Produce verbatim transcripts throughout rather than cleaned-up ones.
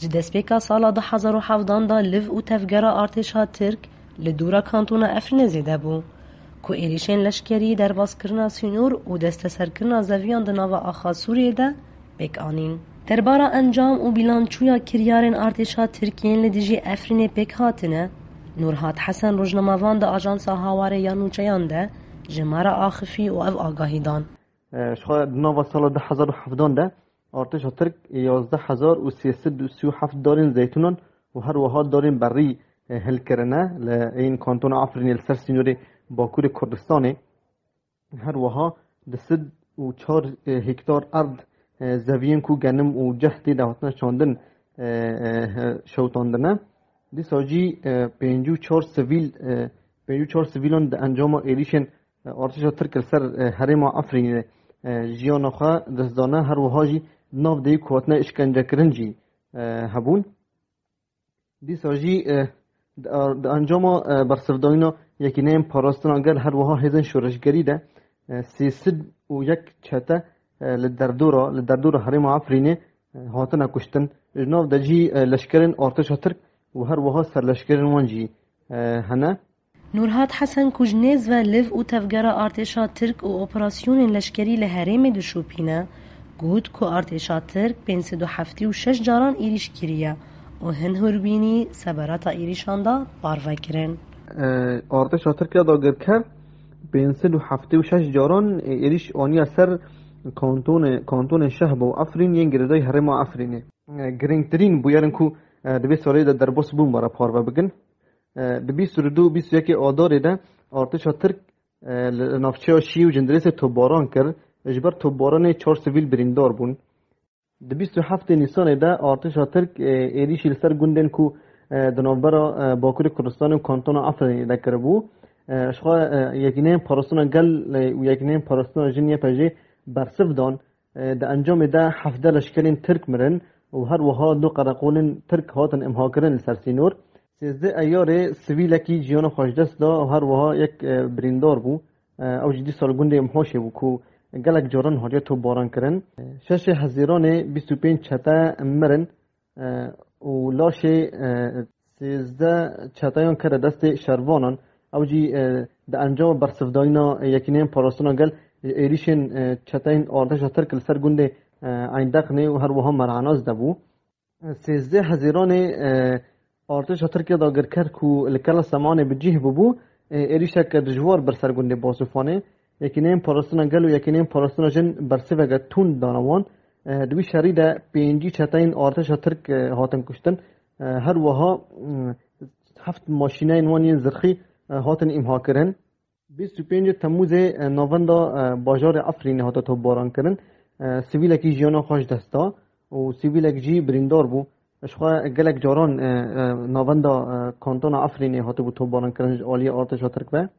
Ji destpêka sala du hezar û hevdan de liv û tevgera artêşa Tirk li dûra kantona Efrînê zêde bû, ku êrîşên leşkerî, derbaskirina sînor û desteserkirina zeviyan di nava axa Sûriyê de pêk anîn. Derbara encam û bîlançûya kiryarên artêşa Tirk yên li dijî Efrînê pêk hatine, Nurhat Hesen rojnamevan di Ajansa Hawarê ya Nûçeyan de ji me re axifî û ev agahî dan. Ji xwe di nava sala du hezar û hevdan de artêşa Tirk yazdeh hezar û sê sed û sî û heft darên zeytûnan û her wiha darên berî, e, hilkirine li ên kantona Efrînê li ser sînorê Bakurê Kurdistanê. Her wiha du sed û çar, e, hektar erd, e, zeviyên ku genim û ceh tê de hatine çandin, e, e, e, şewtandine. Dîsa jî, e, pêncî û çar sivîl, e, pêncî û çar sivîlan di encama êrîşên, e, artêşa Tirk li ser, e, herêma Efrînê, e, jiyana xwe destdane, her wiha jî di nav deyî ku hatine îşkencekirin jî, e, hebûn. Dîsa jî, e, di, di encama, e, bersivdayîna Yekîneyên Parastina Gel, her wiha hêzên şoreşgerî de, e, sê sed û yek çete, e, li derdora, li derdora herêma Efrînê, e, hatine kuştin. Ji nav de jî, e, leşkerên artêşa Tirk û her wiha serleşkerên wan jî, e, hene. Nurhat Hesen ku ji nêz ve liv û tevgera artêşa Tirk û operasyonên leşkerî li herêmê dişopîne, got ku artêşa Tirk pênc sed û heftê û şeş caran êrîş kiriye û hin hûrbînî seberata êrîşan de parve kirin. E, artêşa Tirk ya dagirker pênc sed û heftê û şeş caran, e, êrîş aniye ser kantonê, kantonên Şehba û Efrîn yên girêdayî herêma Efrînê. E, girîngtirîn bûyerin ku, e, di vê salê de derbas bûn, me re parve bikin. E, di bîst û du û bîst û yekê Adarê de artêşa Tirk, e, li navçeya Şî û Cindirêsê topbaran kir, ji ber topbaranê çar sivîl birîndar bûn. Di bîst û heftê Nîsanê de artêşa Tirk, e, êrîşî li ser gundên ku, e, di navbera, e, Bakurê Kurdistanê û Kantona Efrînê de kiribû, e, ji xwe, e, Yekîneyên Parastina Gel, e, û Yekîneyên Parastina Jin, Y P J, bersiv dan. E, di encamê de hevdeh leşkerên Tirk mirin û her wiha du qereqolên Tirk hatin imhakirin li ser sînor. Sêzdeh Eyarê sivîlekî jiyana xwe ji dest da û her wiha yek, e, birîndar bû. E, ew jî dîsa li gundê Imhoşê bû ku gelek caran hatiye topbaran kirin. E, şeşê Hezîranê bîst û pênc çete mirin, e, û laşê, e, sêzdeh çeteyan kete destê şervanan. Ew jî, e, di encama bersivdayîna Yekîneyên Parastina Gel, e, êrîşên, e, çeteyên artêşa Tirk li ser gundê, e, Eyndeqnê û her wiha Mer'anaz de bû. Sêzdeh Hezîranê, e, artêşa Tirk ya dagirker ku li Kela Semanê bi cih bûbû, e, êrîşeke dijwar bir ser gundê Basûfanê. Yekîneyên Parastina Gel û Yekîneyên Parastina Jin bersiveke tund dane wan. E, di wî şerî de pêncî çeteyên artêşa Tirk, e, hatin kuştin. E, her wiha, mm, heft maşîneyên wan yên zirxî, e, hatin îmha kirin. Bîst û pêncê Temmûzê, e, navenda, e, bajarê Efrînê hate topbaran kirin. E, sivîlekî jiyana xwe ji dest da û sivîlek jî birîndar bû. Ji xwe gelek caran, e, e, navenda, e, kantona Efrînê hatibû topbaran kirin ji aliyê artêşa Tirk ve.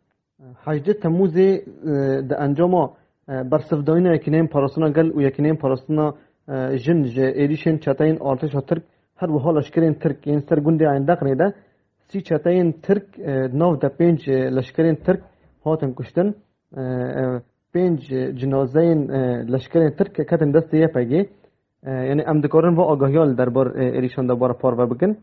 Hejdê Temmûzê, e, di encama, e, bersivdayîna Yekîneyên Parastina Gel û Yekîneyên Parastina, e, Jin ji êrîşên çeteyên artêşa Tirk, her wiha leşkerên Tirk yên ser gundê Eyndeqnê de sî çeteyên Tirk, e, di nav de pênc, e, leşkerên Tirk hatin kuştin. E, e, pênc, e, cinazeyên, e, leşkerên Tirk ketin destê Y P G. E, yanî em dikarin va agahiya li derbar, e, êrîşan de bar parve bikin.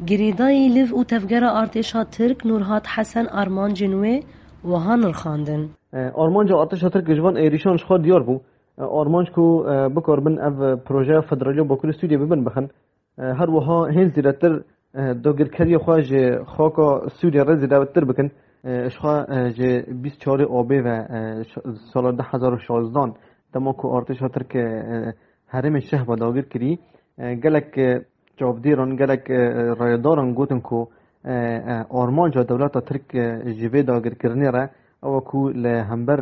Girêdayî liv û tevgera artêşa Tirk Nurhat Hesen armancên wê wiha nirxandin. E, armanca artêşa Tirk ji van êrîşan ji xwe diyar bû. E, armanc ku, e, bikaribin ev projeya federaliya Bakurê Sûriyê bibin bixin. E, her wiha hên zêdetir, e, dagirkeriya xwe ji xaka Sûriyê re zêdetir bikin. E, ji xwe, e, ji bîst çarê Abê ve, e, ş-, sala du hezar û şazdan, dema ku artêşa Tirk, e, herêmê Şehba dagir kirî, e, gelek, e, çavdêran, gelek, e, rayedaran gotin ku, e, e, armanca dewleta Tirk, e, ji vê dagirkirinê re ew e ku li hember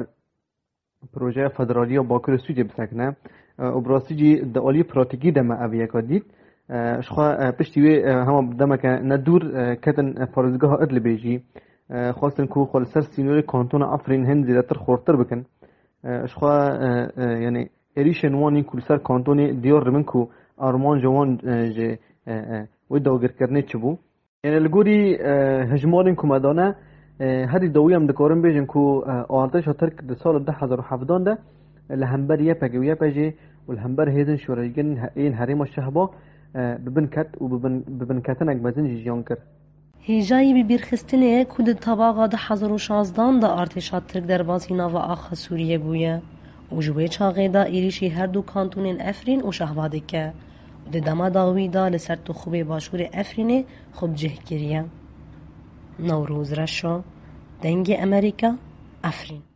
projeya federaliya Bakurê Sûriyê bisekine. E, û bi rastî jî di aliyê pratîkî de me ev yeka dît. E, ji xwe, e, piştî wê, e, hema demeke ne dûr, e, ketin, e, parêzgeha Idlibê jî. E, xwestin ku xwe li ser sînorê kantona Efrîn hin zêdetir xurtir bikin. E, ji xwe, e, e, yanî êrîşên wan yên ku li ser kantonê diyar dibin ku armanca wan, e, ji, e, e, wê dagirkirinê çi bû. Yanî li gorî, e, hejmarên ku me dane, e, herî dawî em dikarin bêjin ku, e, artêşa Tirk di sala du hezar û hevdan de, e, li hember Y P G û Y P J û li hember hêzên şoreşgerên he-, yên herêma Şehba, e, bi bin ket û bi bin, bi binketinek mezin jî jiyan kir. Hêjayî bibîrxistinê ye ku di tabaxa du hezar û şazdan de artêşa Tirk derbasî nava axa Sûriyê bûye û ji wê çaxê de êrîşî her du kantonên Efrîn û Şehba dike û di dema dawî de li ser Toxubê başûrê Efrînê xwe bi cih kiriye. Newroz Reşo, Dengê Emerîka, Efrîn.